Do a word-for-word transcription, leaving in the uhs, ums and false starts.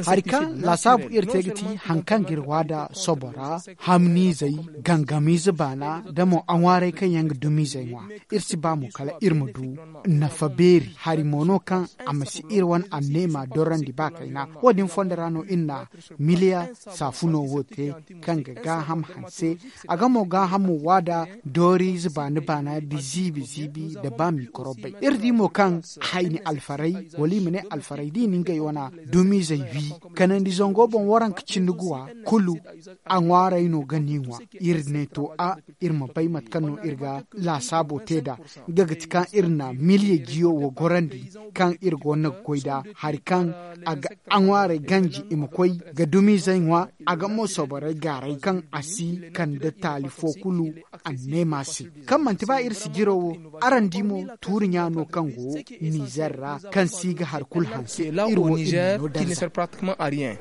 Hari kaŋ laasaabu iri te ga ti haŋ kaŋ ga iri waada sobo ra, hamniizey, gangamiize baana, da mo aŋwaarey kaŋ yaŋ ga dumiizey ŋwa. Iri si ba mo kala iri ma du nafa beeri hari mo no kaŋ a ma si iri wane anneema dorandi ba kayna. Wo- din fondo ra no iri na miliya saafuno wo te, kaŋ ga gaaham hanse. A ga mo gaahamo waada dooriize baana baana nda ziibi ziibi nda ba mikorobey. Iri di mo kaŋ hayni alfarey, wala i ma ne alfarey da i na ngey wana dumiizey wi, kanandi zango boŋ waranka cindi guwa kulu, a ŋwaarey no ga ni ŋwa. Iri ne to a, iri ma bay mate kaŋ no iri ga laasaabo te nd'a. Nga ga ti kaŋ iri na miliya jiyo wo gorandi, kaŋ iri gonda ga koy nd'a hari kaŋ a ga aŋwaarey ganji i ma koy ga dumiizey ŋwa. A ga mo soborey gaaray kaŋ a si kande taali fo kulu anneema se. Kaŋ manti ba iri sijiro wo, araŋ di mo, tuuri ɲa no kaŋ go nizer ra, kaŋ si ga hari kulu hanse. Iri wo iri no danza.